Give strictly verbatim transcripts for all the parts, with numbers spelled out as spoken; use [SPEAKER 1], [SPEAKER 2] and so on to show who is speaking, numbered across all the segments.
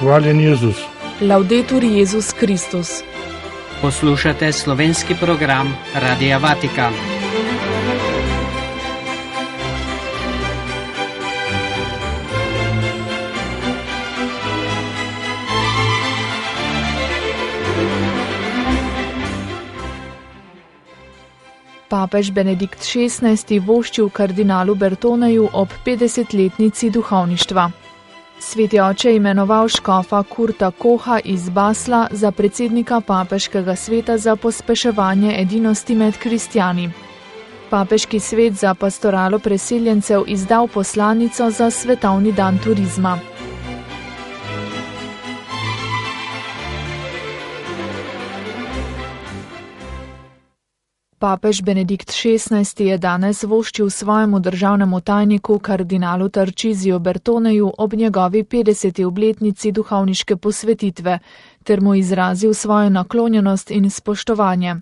[SPEAKER 1] Hvaljen Jezus.
[SPEAKER 2] Laudetur Jezus Kristus.
[SPEAKER 3] Poslušate slovenski program Radia Vatikan.
[SPEAKER 2] Papež Benedikt šestnajsti voščil kardinalu Bertoneju ob petdesetletnici duhovništva. Sveti oče je imenoval škofa Kurta Koha iz Basla za predsednika papeškega sveta za pospeševanje edinosti med kristjani. Papeški svet za pastoralo preseljencev izdal poslanico za svetovni dan turizma. Papež Benedikt šestnajsti je danes voščil svojemu državnemu tajniku kardinalu Tarcisiju Bertoneju ob njegovi petdeseti obletnici duhovniške posvetitve ter mu izrazil svojo naklonjenost in spoštovanje.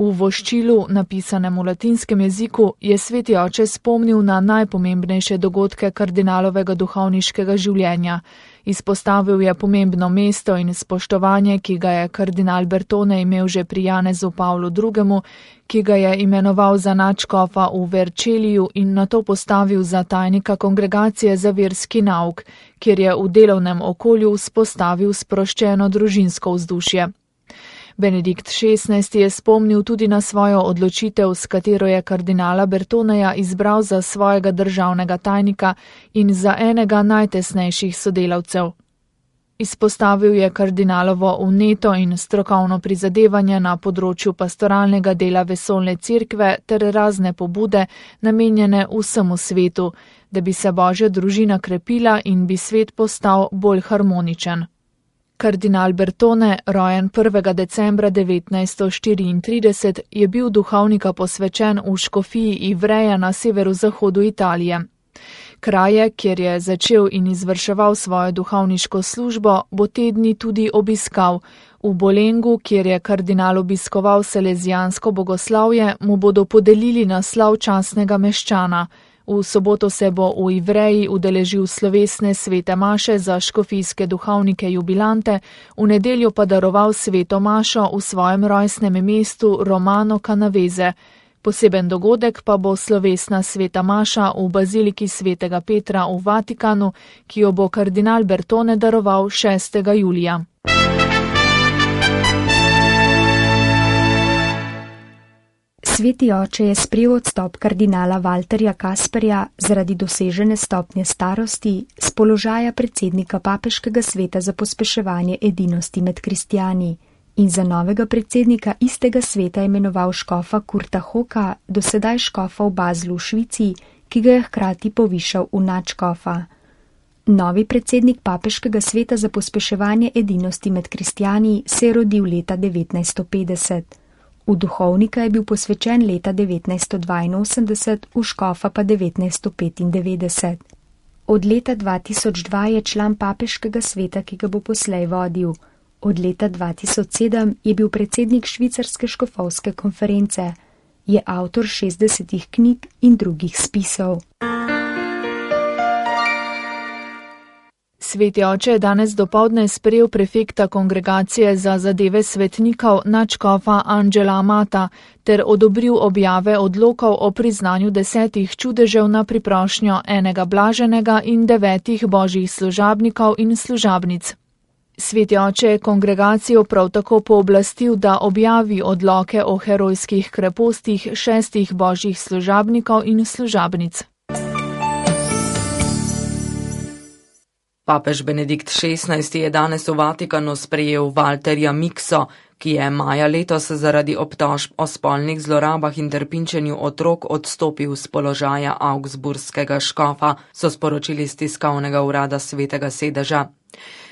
[SPEAKER 2] V voščilu, napisanem v latinskem jeziku, je sveti oče spomnil na najpomembnejše dogodke kardinalovega duhovniškega življenja. Izpostavil je pomembno mesto in spoštovanje, ki ga je kardinal Bertone imel že pri Janezu Pavlu drugemu, ki ga je imenoval za nadškofa v Verceliju in nato postavil za tajnika kongregacije za verski nauk, kjer je v delovnem okolju vzpostavil sproščeno družinsko vzdušje. Benedikt šestnajsti je spomnil tudi na svojo odločitev, s katero je kardinala Bertoneja izbral za svojega državnega tajnika in za enega najtesnejših sodelavcev. Izpostavil je kardinalovo vneto in strokovno prizadevanje na področju pastoralnega dela vesoljne cerkve ter razne pobude, namenjene vsemu svetu, da bi se Božja družina krepila in bi svet postal bolj harmoničen. Kardinal Bertone, rojen prvega decembra devetnajststo štiriintrideset, je bil duhovnika posvečen v škofiji Ivreja na severozahodu Italije. Kraje, kjer je začel in izvrševal svojo duhovniško službo, bo te dni tudi obiskal. V Bolengu, kjer je kardinal obiskoval salezijansko bogoslavje, mu bodo podelili naslov častnega meščana. V soboto se bo v Ivreji udeležil slovesne svete maše za škofijske duhovnike jubilante, v nedeljo pa daroval sveto mašo v svojem rojstnem mestu Romano Canavese. Poseben dogodek pa bo slovesna sveta maša v baziliki svetega Petra v Vatikanu, ki jo bo kardinal Bertone daroval šestega julija.
[SPEAKER 4] Sveti oče je sprejel odstop kardinala Valterja Kasperja zaradi dosežene stopnje starosti z položaja predsednika papeškega sveta za pospeševanje edinosti med kristjani in za novega predsednika istega sveta imenoval škofa Kurta Hoka, dosedaj škofa v Baslu v Švici, ki ga je hkrati povišal v nadškofa. Novi predsednik papeškega sveta za pospeševanje edinosti med kristjani se je rodil leta devetnajststo petdeset. V duhovnika je bil posvečen leta devetnajststo dvainosemdeset, v škofa pa devetnajststo petindevetdeset. Od leta dva tisoč dva je član papeškega sveta, ki ga bo poslej vodil. Od leta dva tisoč sedem je bil predsednik švicarske škofovske konference. Je avtor šestdesetih knjig in drugih spisov.
[SPEAKER 2] Sveti oče je danes dopoldne sprejel prefekta kongregacije za zadeve svetnikov nadškofa Angela Amata ter odobril objave odlokov o priznanju desetih čudežev na priprošnjo enega blaženega in devetih božjih služabnikov in služabnic. Sveti oče je kongregacijo prav tako pooblastil, da objavi odloke o herojskih krepostih šestih božjih služabnikov in služabnic.
[SPEAKER 5] Papež Benedikt šestnajsti je danes v Vatikanu sprejel Valterja Mikso, ki je maja letos zaradi obtožb o spolnih zlorabah in trpinčenju otrok odstopil z položaja augsburskega škofa, so sporočili z tiskovnega urada Svetega sedeža.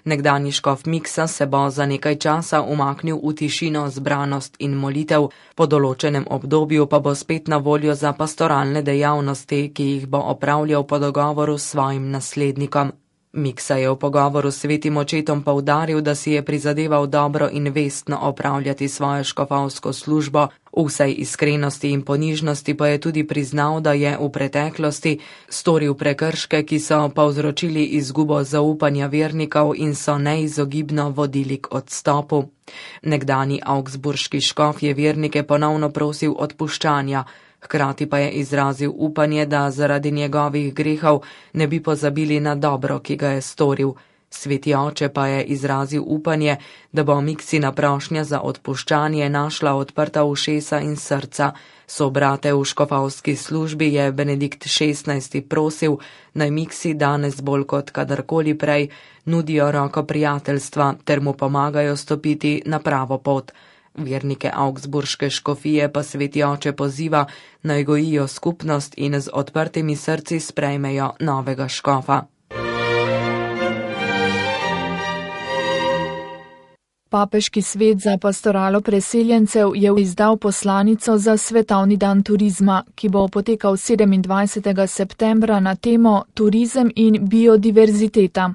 [SPEAKER 5] Nekdanji škof Miksa se bo za nekaj časa umaknil v tišino, zbranost in molitev, po določenem obdobju pa bo spet na voljo za pastoralne dejavnosti, ki jih bo opravljal po dogovoru s svojim naslednikom. Miksa je v pogovoru s svetim očetom poudaril, da si je prizadeval dobro in vestno opravljati svojo škofovsko službo, v vsej iskrenosti in ponižnosti pa je tudi priznal, da je v preteklosti storil prekrške, ki so povzročili izgubo zaupanja vernikov in so neizogibno vodili k odstopu. Nekdani augsburški škof je vernike ponovno prosil odpuščanja, hkrati pa je izrazil upanje, da zaradi njegovih grehov ne bi pozabili na dobro, ki ga je storil. Sveti oče pa je izrazil upanje, da bo Miksina prošnja za odpuščanje našla odprta ušesa in srca. Sobrate v škofovski službi je Benedikt šestnajsti prosil, naj Miksi danes bolj kot kadarkoli prej nudijo roko prijateljstva ter mu pomagajo stopiti na pravo pot. Vernike augsburške škofije pa sveti oče poziva, naj gojijo skupnost in z odprtimi srci sprejmejo novega škofa.
[SPEAKER 2] Papeški svet za pastoralo preseljencev je izdal poslanico za svetovni dan turizma, ki bo potekal sedemindvajsetega septembra na temo Turizem in biodiverziteta.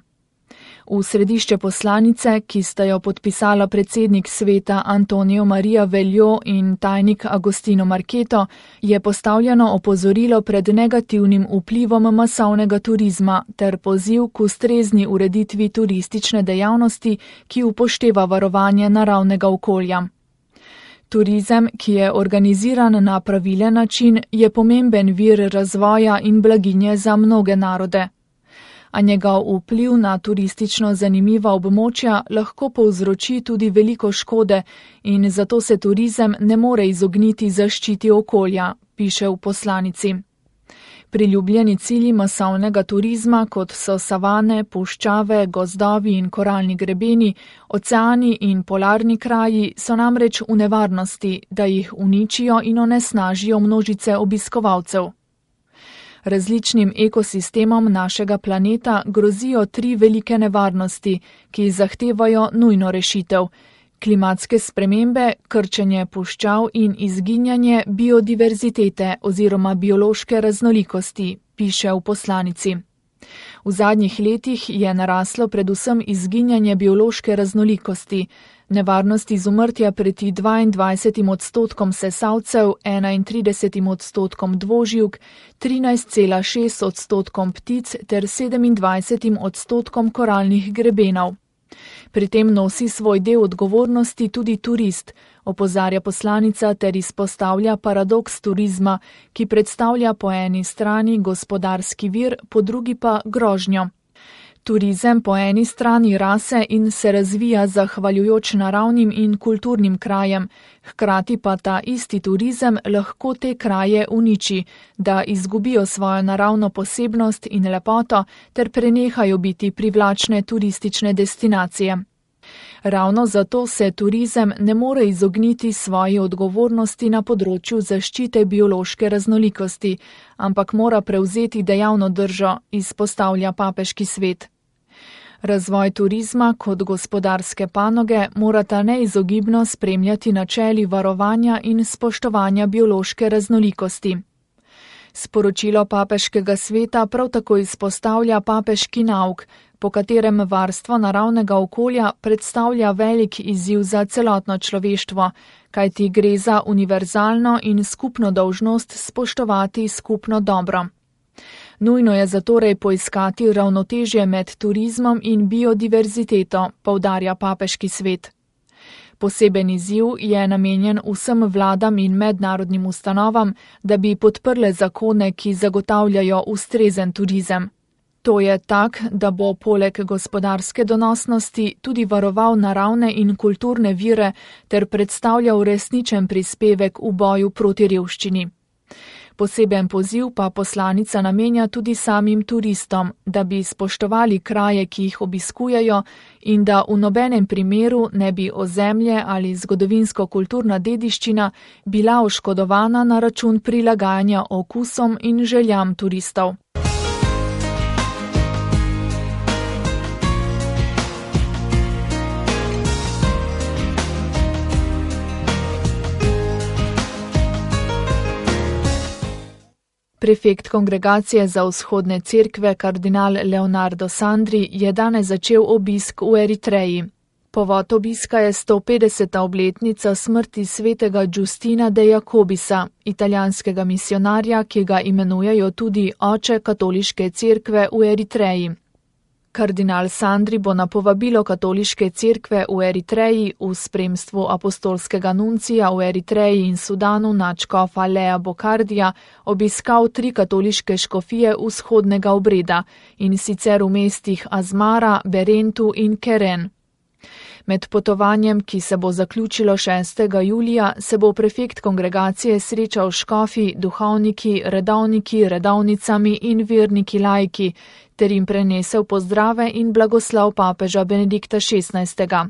[SPEAKER 2] V središče poslanice, ki sta jo podpisala predsednik sveta Antonio Maria Veljo in tajnik Agostino Marketo, je postavljeno opozorilo pred negativnim vplivom masovnega turizma ter poziv k ustrezni ureditvi turistične dejavnosti, ki upošteva varovanje naravnega okolja. Turizem, ki je organiziran na pravilen način, je pomemben vir razvoja in blaginje za mnoge narode. A njegov vpliv na turistično zanimiva območja lahko povzroči tudi veliko škode in zato se turizem ne more izogniti zaščiti okolja, piše v poslanici. Priljubljeni cilji masovnega turizma, kot so savane, puščave, gozdovi in koralni grebeni, oceani in polarni kraji, so namreč v nevarnosti, da jih uničijo in onesnažijo množice obiskovalcev. Različnim ekosistemom našega planeta grozijo tri velike nevarnosti, ki zahtevajo nujno rešitev: klimatske spremembe, krčenje puščav in izginjanje biodiverzitete oziroma biološke raznolikosti, piše v poslanici. V zadnjih letih je naraslo predvsem izginjanje biološke raznolikosti. Nevarnost izumrtja preti dvaindvajsetim odstotkom sesalcev, enaintridesetim odstotkom dvoživk, trinajst cela šest odstotkom ptic ter sedemindvajsetim odstotkom koralnih grebenov. Pri tem nosi svoj del odgovornosti tudi turist, opozarja poslanica ter izpostavlja paradoks turizma, ki predstavlja po eni strani gospodarski vir, po drugi pa grožnjo. Turizem po eni strani rase in se razvija zahvaljujoč naravnim in kulturnim krajem, hkrati pa ta isti turizem lahko te kraje uniči, da izgubijo svojo naravno posebnost in lepoto ter prenehajo biti privlačne turistične destinacije. Ravno zato se turizem ne more izogniti svoji odgovornosti na področju zaščite biološke raznolikosti, ampak mora prevzeti dejavno držo, izpostavlja papeški svet. Razvoj turizma kot gospodarske panoge morata neizogibno spremljati načeli varovanja in spoštovanja biološke raznolikosti. Sporočilo papeškega sveta prav tako izpostavlja papeški nauk, po katerem varstvo naravnega okolja predstavlja velik izziv za celotno človeštvo, kajti gre za univerzalno in skupno dolžnost spoštovati skupno dobro. Nujno je zatorej poiskati ravnotežje med turizmom in biodiverziteto, poudarja papeški svet. Poseben izziv je namenjen vsem vladam in mednarodnim ustanovam, da bi podprle zakone, ki zagotavljajo ustrezen turizem. To je tak, da bo poleg gospodarske donosnosti tudi varoval naravne in kulturne vire ter predstavljal resničen prispevek v boju proti revščini. Poseben poziv pa poslanica namenja tudi samim turistom, da bi spoštovali kraje, ki jih obiskujejo in da v nobenem primeru ne bi ozemlje ali zgodovinsko-kulturna dediščina bila oškodovana na račun prilagajanja okusom in željam turistov. Prefekt Kongregacije za vzhodne cerkve kardinal Leonardo Sandri je danes začel obisk v Eritreji. Povod obiska je sto petdeseta obletnica smrti svetega Giustina de Jacobisa, italijanskega misionarja, ki ga imenujejo tudi oče katoliške cerkve v Eritreji. Kardinal Sandri bo na povabilo katoliške cerkve v Eritreji v spremstvu apostolskega nuncija v Eritreji in Sudanu nadškofa Lea Bokardija obiskal tri katoliške škofije vzhodnega obreda, in sicer v mestih Azmara, Berentu in Keren. Med potovanjem, ki se bo zaključilo šestega julija, se bo prefekt kongregacije srečal s škofi, duhovniki, redovniki, redovnicami in verniki laiki, ter jim prenesel pozdrave in blagoslov papeža Benedikta šestnajstega.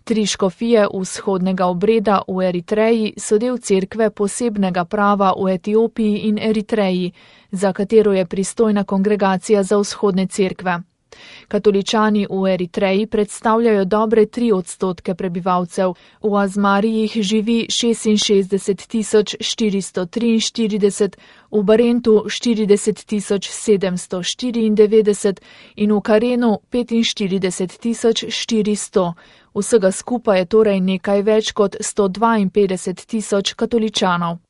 [SPEAKER 2] Tri škofije vzhodnega obreda v Eritreji so del cerkve posebnega prava v Etiopiji in Eritreji, za katero je pristojna kongregacija za vzhodne cerkve. Katoličani v Eritreji predstavljajo dobre tri odstotke prebivalcev, v Azmari jih živi šestinšestdeset tisoč štiristo triinštirideset, v Berentu štirideset tisoč sedemsto štiriindevetdeset in v Karenu petinštirideset tisoč štiristo. Vsega skupaj je torej nekaj več kot sto dvainpetdeset tisoč katoličanov.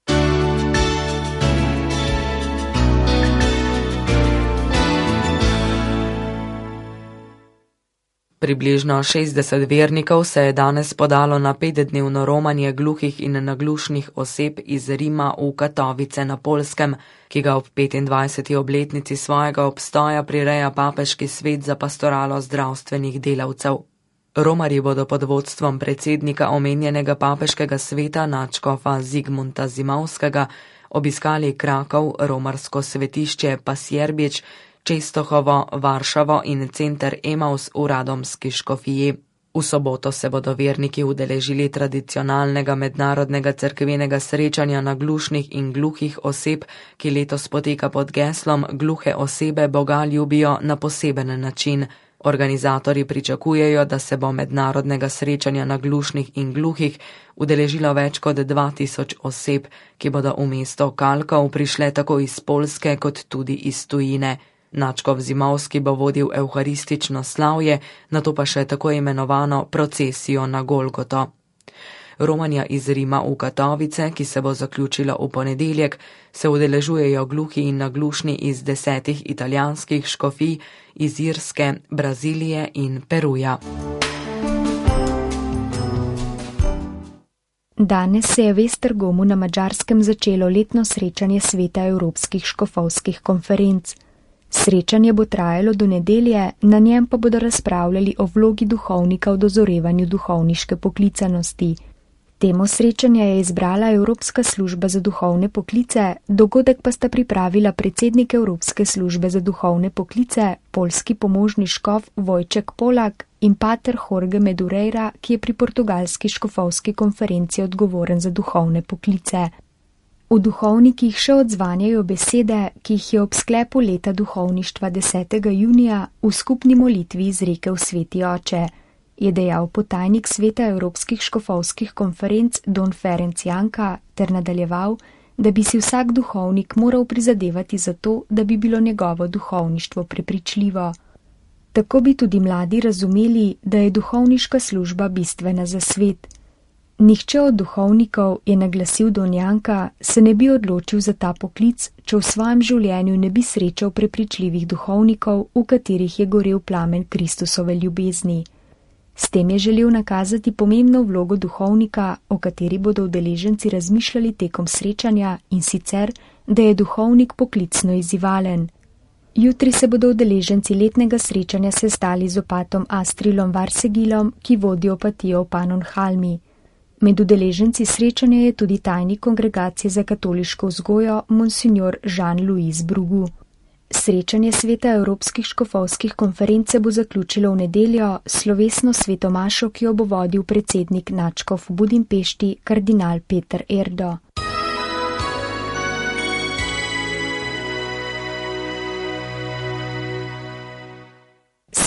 [SPEAKER 5] Približno šestdeset vernikov se je danes podalo na petdnevno romanje gluhih in naglušnih oseb iz Rima v Katovice na Poljskem, ki ga ob petindvajseti obletnici svojega obstoja prireja papeški svet za pastoralo zdravstvenih delavcev. Romarji bodo pod vodstvom predsednika omenjenega papeškega sveta nadškofa Zigmunta Zimovskega obiskali Krakov, romarsko svetišče Pasjerbič, Čestohovo, Varšavo in center Emaus v Radomski škofiji. V soboto se bodo verniki udeležili tradicionalnega mednarodnega cerkvenega srečanja naglušnih in gluhih oseb, ki letos poteka pod geslom Gluhe osebe Boga ljubijo na poseben način. Organizatorji pričakujejo, da se bo mednarodnega srečanja naglušnih in gluhih udeležilo več kot dva tisoč oseb, ki bodo v mesto Kalkov prišle tako iz Poljske kot tudi iz tujine. Nadškof Zimovski bo vodil evharistično slavje, nato pa še tako imenovano procesijo na Golgoto. Romanja iz Rima v Katovice, ki se bo zaključila v ponedeljek, se udeležujejo gluhi in naglušni iz desetih italijanskih škofij, iz Irske, Brazilije in Peruja.
[SPEAKER 4] Danes se je v Esztergomu na Madžarskem začelo letno srečanje sveta evropskih škofovskih konferenc. Srečanje bo trajalo do nedelje, na njem pa bodo razpravljali o vlogi duhovnika v dozorevanju duhovniške poklicanosti. Temo srečanja je izbrala Evropska služba za duhovne poklice, dogodek pa sta pripravila predsednik Evropske službe za duhovne poklice, poljski pomožni škof Vojček Polak in pater Jorge Medureira, ki je pri portugalski škofovski konferenci odgovoren za duhovne poklice. V duhovnikih še odzvanjajo besede, ki jih je ob sklepu leta duhovništva desetega junija v skupni molitvi izrekel sveti oče, je dejal potajnik sveta evropskih škofovskih konferenc Don Ferenc Janka ter nadaljeval, da bi si vsak duhovnik moral prizadevati za to, da bi bilo njegovo duhovništvo prepričljivo. Tako bi tudi mladi razumeli, da je duhovniška služba bistvena za svet. Nihče od duhovnikov, je naglasil Don Janka, se ne bi odločil za ta poklic, če v svojem življenju ne bi srečal prepričljivih duhovnikov, v katerih je gorel plamen Kristusove ljubezni. S tem je želel nakazati pomembno vlogo duhovnika, o kateri bodo udeleženci razmišljali tekom srečanja, in sicer, da je duhovnik poklicno izzivalen. Jutri se bodo udeleženci letnega srečanja sestali z opatom Astrilom Varsegilom, ki vodi opatijo v Pannonhalmi. Med udeleženci srečanja je tudi tajnik kongregacije za katoliško vzgojo monsignor Jean-Louis Brugu. Srečanje sveta evropskih škofovskih konference bo zaključilo v nedeljo slovesno svetomašo, ki jo bo vodil predsednik nadškof v Budimpešti kardinal Peter Erdo.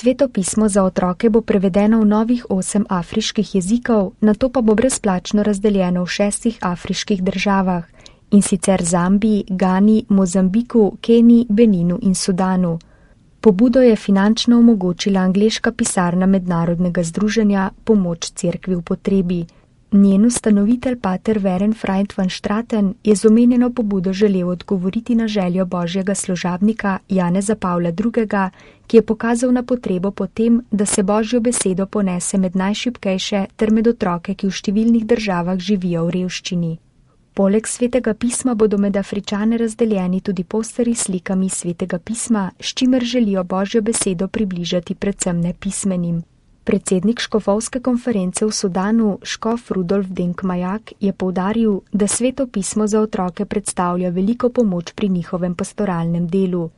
[SPEAKER 4] Sveto pismo za otroke bo prevedeno v novih osem afriških jezikov, nato pa bo brezplačno razdeljeno v šestih afriških državah in sicer Zambiji, Gani, Mozambiku, Keniji, Beninu in Sudanu. Pobudo je finančno omogočila angleška pisarna mednarodnega združenja Pomoč cerkvi v potrebi. Njen ustanovitelj pater Veren Freund van Straten je z omenjeno pobudo želel odgovoriti na željo božjega služabnika Janeza Pavla drugega., ki je pokazal na potrebo po tem, da se božjo besedo ponese med najšibkejše ter med otroke, ki v številnih državah živijo v revščini. Poleg svetega pisma bodo med Afričane razdeljeni tudi posteri s slikami svetega pisma, s čimer želijo božjo besedo približati predvsem nepismenim. Predsednik škofovske konference v Sudanu, škof Rudolf Denkmajak, je poudaril, da sveto pismo za otroke predstavlja veliko pomoč pri njihovem pastoralnem delu.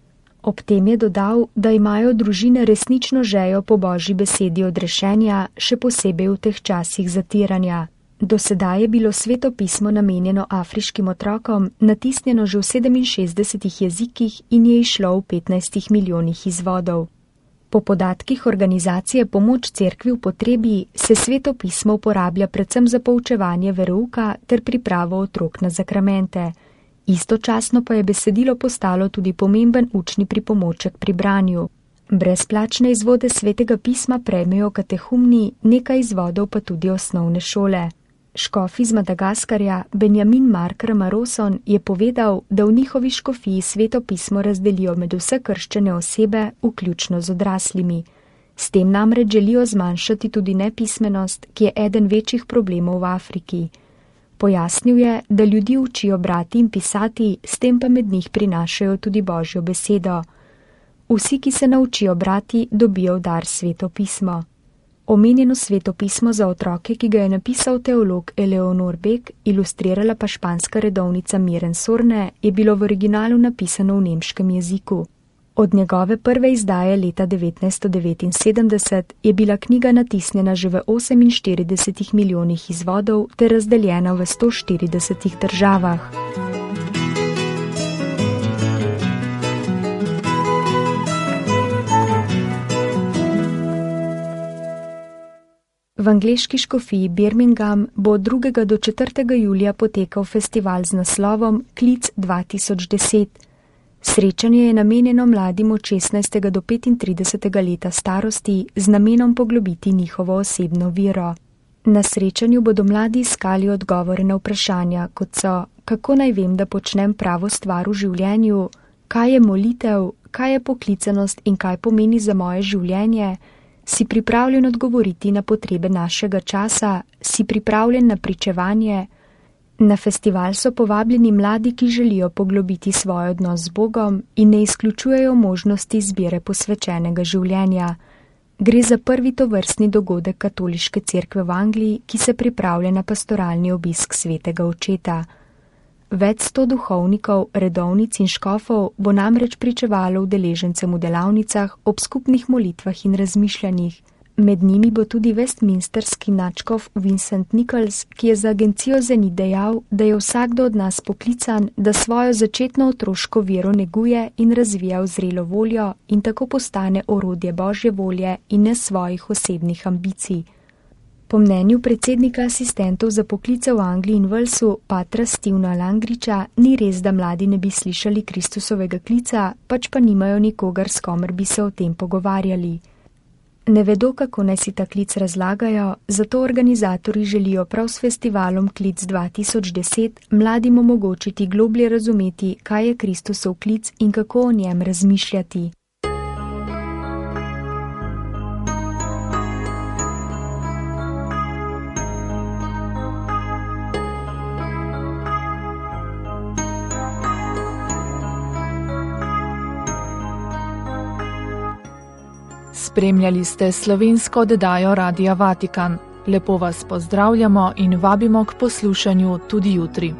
[SPEAKER 4] Ob tem je dodal, da imajo družine resnično žejo po božji besedi odrešenja, še posebej v teh časih zatiranja. Do sedaj je bilo sveto pismo namenjeno afriškim otrokom, natisnjeno že v sedeminšestdesetih jezikih in je išlo v petnajstih milijonih izvodov. Po podatkih organizacije Pomoč cerkvi v potrebi se sveto pismo uporablja predvsem za poučevanje verouka ter pripravo otrok na zakramente. Istočasno pa je besedilo postalo tudi pomemben učni pripomoček pri branju. Brezplačne izvode svetega pisma prejmejo katehumni, nekaj izvodov pa tudi osnovne šole. Škof iz Madagaskarja Benjamin Mark Ramaroson je povedal, da v njihovi škofiji sveto pismo razdelijo med vse krščene osebe, vključno z odraslimi. S tem namreč želijo zmanjšati tudi nepismenost, ki je eden večjih problemov v Afriki. Pojasnil je, da ljudi učijo brati in pisati, s tem pa med njih prinašajo tudi božjo besedo. Vsi, ki se naučijo brati, dobijo v dar sveto pismo. Omenjeno sveto pismo za otroke, ki ga je napisal teolog Eleonor Beck, ilustrirala pa španska redovnica Miren Sorne, je bilo v originalu napisano v nemškem jeziku. Od njegove prve izdaje leta devetnajststo devetinsedemdeset je bila knjiga natisnjena že v oseminštiridesetih milijonih izvodov ter razdeljena v sto štiridesetih državah. V angleški škofiji Birmingham bo od drugega do četrtega julija potekal festival z naslovom Klic dva tisoč deset. Srečanje je namenjeno mladim od šestnajstega do petintridesetega leta starosti z namenom poglobiti njihovo osebno vero. Na srečanju bodo mladi iskali odgovore na vprašanja, kot so, kako naj vem, da počnem pravo stvar v življenju, kaj je molitev, kaj je poklicanost in kaj pomeni za moje življenje, si pripravljen odgovoriti na potrebe našega časa, si pripravljen na pričevanje. Na festival so povabljeni mladi, ki želijo poglobiti svoj odnos z Bogom in ne izključujejo možnosti izbire posvečenega življenja. Gre za prvi tovrstni dogodek katoliške cerkve v Angliji, ki se pripravlja na pastoralni obisk svetega očeta. Več sto duhovnikov, redovnic in škofov bo namreč pričevalo udeležencem v delavnicah ob skupnih molitvah in razmišljanjih. Med njimi bo tudi westminsterski nadškof Vincent Nichols, ki je za agencijo Zenit dejal, da je vsakdo od nas poklican, da svojo začetno otroško vero neguje in razvija v zrelo voljo in tako postane orodje božje volje in ne svojih osebnih ambicij. Po mnenju predsednika asistentov za poklice v Angliji in Walesu, patra Stevena Langriča, ni res, da mladi ne bi slišali Kristusovega klica, pač pa nimajo nikogar, s komer bi se o tem pogovarjali. Ne vedo, kako naj si ta klic razlagajo, zato organizatorji želijo prav s festivalom Klic dva tisoč deset mladim omogočiti globlje razumeti, kaj je Kristusov klic in kako o njem razmišljati.
[SPEAKER 2] Spremljali ste slovensko oddajo Radia Vatikan. Lepo vas pozdravljamo in vabimo k poslušanju tudi jutri.